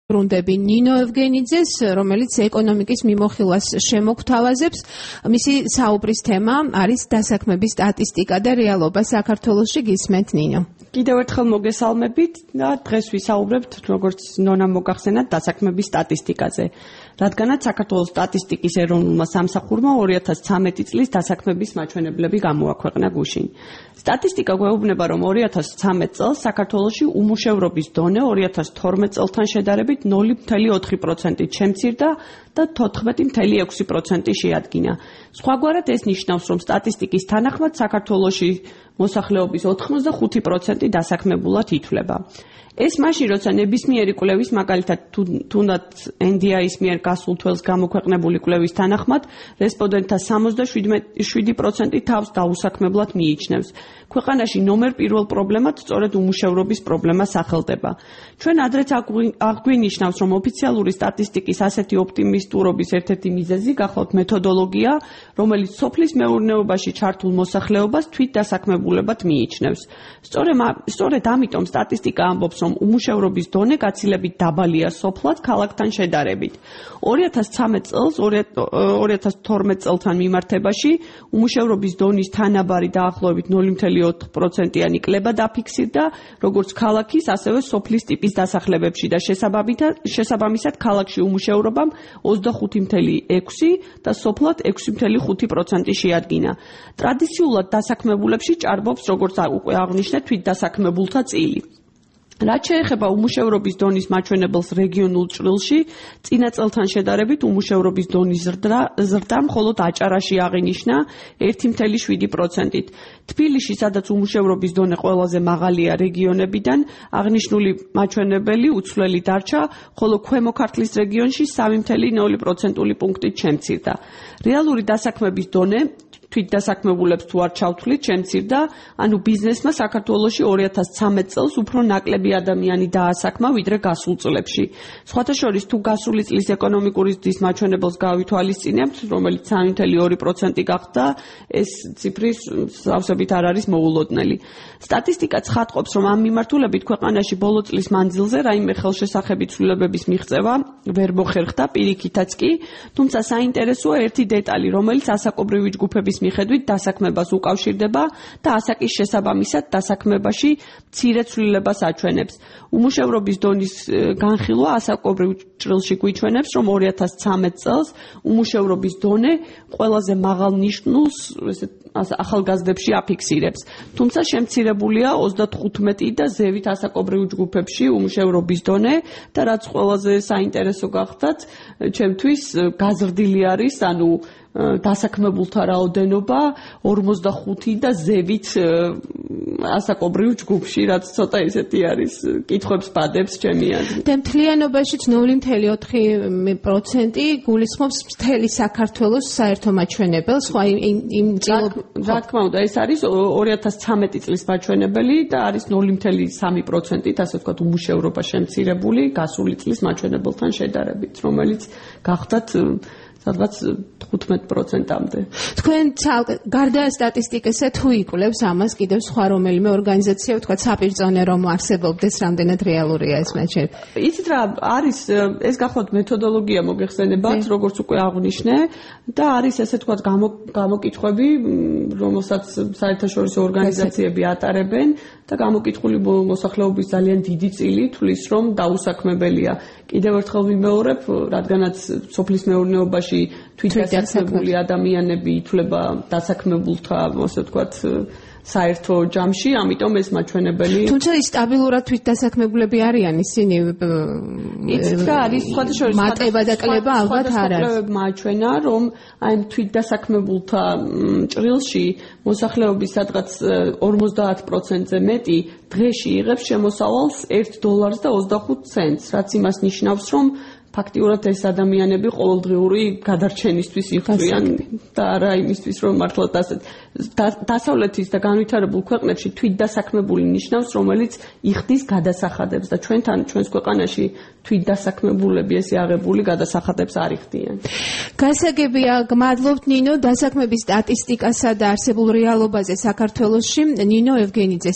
ბრუნდები ნინო ევგენიძეს, რომელიც ეკონომიკის მიმოხილვას შემოგთავაზებს. მისი საუბრის თემა არის დასაქმების სტატისტიკა და რეალობა საქართველოში. გისმენთ ნინო. კიდევ ერთხელ მოგესალმებით და დღეს ვისაუბრებთ, როგორც ნონამ მოგახსენათ, დასაქმების სტატისტიკაზე. რადგანაც საქართველოს სტატისტიკის ეროვნულმა სამსახურმა 2013 წლის დასაქმების მაჩვენებლები გამოაქვეყნა გუშინ. სტატისტიკა გვეუბნება, რომ 2013 წელს საქართველოში უმუშევრობის დონე 2012 წელთან შედარებით 0.4%-ით შემცირდა და 14.6% შეადგინა. სხვაგვარად ეს ნიშნავს, რომ სტატისტიკის თანახმად საქართველოში მოსახლეობის 85% დასაქმებულად ითვლება. ეს მაშინ, როცა ნებისმიერი კვლევის, მაგალითად თუნდაც NDI-ის მიერ გასულ თველს გამოქვეყნებული კვლევის თანახმად, რესპონდენტთა 77% თავს დაუსაქმებლად მიიჩნევს. ქვეყანაში ნომერ პირველ პრობლემად სწორედ უმუშევრობის პრობლემა სახელდება. ჩვენ ადრეც აღვინიშნავს, რომ ოფიციალური სტატისტიკის ასეთი ოპტიმისტურობის ერთ-ერთი მიზეზი გახლავთ მეთოდოლოგია, რომელიც სოფლის მეურნეობაში ჩართულ მოსახლეობას თვითდასაქმებულებად მიიჩნევს. სწორედ ამიტომ სტატისტიკა ამბობს, რომ უმუშევრობის დონე გაცილებით დაბალია სოფლად ქალაქთან შედარებით. 2013 წელს 2012 წელთან მიმართებაში უმუშევრობის დონის თანაბარი დაახლოებით 0.4%-იანი კლება დაფიქსირდა, როგორც ქალაქის, ასევე სოფლის ტიპის დასახლებებში და შესაბამისად ქალაქში უმუშევრობამ 25.6 და სოფლად 6.5% შეადგინა. ტრადიციულად დასაქმებულებში ჭარბობს, როგორც უკვე აღვნიშნეთ, თვითდასაქმებულთა წილი. რაც შეეხება უმუშევრობის დონის მაჩვენებელს რეგიონულ ჭრილში, წინა წელთან შედარებით უმუშევრობის დონის ზრდა მხოლოდ აჭარაში აღინიშნა 1.7%-ით. თბილისში, სადაც უმუშევრობის დონე ყველაზე მაღალია რეგიონებიდან, აღნიშნული მაჩვენებელი უცვლელი დარჩა, ხოლო ქვემო ქართლის რეგიონში 3.0%-იანი პუნქტით შემცირდა. რეალური დასაქმების დონე თვითდასაქმებულებს თუ არ ჩავთვლით, შემცირდა, ანუ ბიზნესმა საქართველოში 2013 წელს უფრო ნაკლები ადამიანი დაასაქმა, ვიდრე გასულ წლებში. სხვათა შორის, თუ გასული წლის ეკონომიკური ზრდის მაჩვენებელს გავითვალისწინებთ, რომელიც 3.2% გახდა, ეს ციფრი სავსებით არ არის მოულოდნელი. სტატისტიკა ცხადყოფს, რომ ამ მიმართულებით ქვეყანაში ბოლო წლის მანძილზე რაიმე ხელშესახები ცვლილებების მიღწევა ვერ მოხერხდა, პირიქითაც კი, თუმცა საინტერესოა ერთი დეტალი, რომელიც ასაკობრივი ჯგუფების მიხედვით დასაქმებას უკავშირდება და ასაკის შესაბამისად დასაქმებაში მცირე ცვლილებას აჩვენებს. უმუშევრობის დონის განხილვა ასაკობრივ ჭრილში გვიჩვენებს, რომ 2013 წელს უმუშევრობის დონე ყველაზე მაღალ ნიშნულს ახალგაზრდებში აფიქსირებს. თუმცა შემცირებულია 35 და ზევით ასაკობრივ ჯგუფებში უმუშევრობის დონე და რაც ყველაზე საინტერესო გახდათ, ჩემთვის გაზრდილი არის, ანუ დასაქმებულთა რაოდენობა 45 და ზევით ასაკობრივ ჯგუფში, რაც ცოტა ისეთი არის, კითხვებს ბადებს ჩემი აზრით. და მთლიანობაში 0.4% გულისხმობს მთელი საქართველოს საერთო მაჩვენებელს, სხვა იმ რა თქმა უნდა, ეს არის 2013 წლის მაჩვენებელი და არის 0.3%-ით, ასე ვთქვათ, უმუშევრობა შემცირებული გასული წლის მაჩვენებელთან შედარებით, რომელიც გახდათ სადღაც 15%-ამდე. თქვენ გარდა სტატისტიკისა თუ იკვლევს ამას კიდევ სხვა რომელიმე ორგანიზაცია, ვთქვათ, საპირწონე რომ არსებობდეს, რამდენად რეალურია ეს მაჩვენებელი? იცით რა, არის ეს გახლავთ მეთოდოლოგია მოგეხსენებათ, როგორც უკვე აღვნიშნე და არის ესე ვთქვათ გამოკითხვები, რომელსაც საერთაშორისო ორგანიზაციები ატარებენ და გამოკითხული მოსახლეობის ძალიან დიდი წილი თვლის, რომ დაუსაქმებელია. კიდევ ერთხელ ვიმეორებ, რადგანაც სოფლის მეურნეობაში თვითდასაქმებული ადამიანები ითვლება დასაქმებულთა, ასე ვთქვათ, საერთო ჯამში, ამიტომ ეს მაჩვენებელი. თუმცა ის სტაბილურად თვითდასაქმებულები არიან ისინი. იცით რა არის, სხვათა შორის მატება და კლება ალბათ არ არის. მაჩვენა, რომ აი თვითდასაქმებულთა ჭრილში მოსახლეობის სადღაც 50%-ზე მეტი დღეში იღებს შემოსავალს $1.25, რაც იმას ნიშნავს, რომ ფაქტიურად ეს ადამიანები ყოველდღიური გადარჩენისთვის იღწვიან და არა იმისთვის, რომ მართლაც დასავლეთის და განვითარებულ ქვეყნებში თვითდასაქმებული ნიშნავს, რომელიც იხდის გადასახადებს და ჩვენს ქვეყანაში თვითდასაქმებულები ესე აღებული გადასახადებს არ იხდიან. გასაგებია, გმადლობთ ნინო, დასაქმების სტატისტიკასა და არსებულ რეალობაზე საქართველოში. ნინო ევგენიძე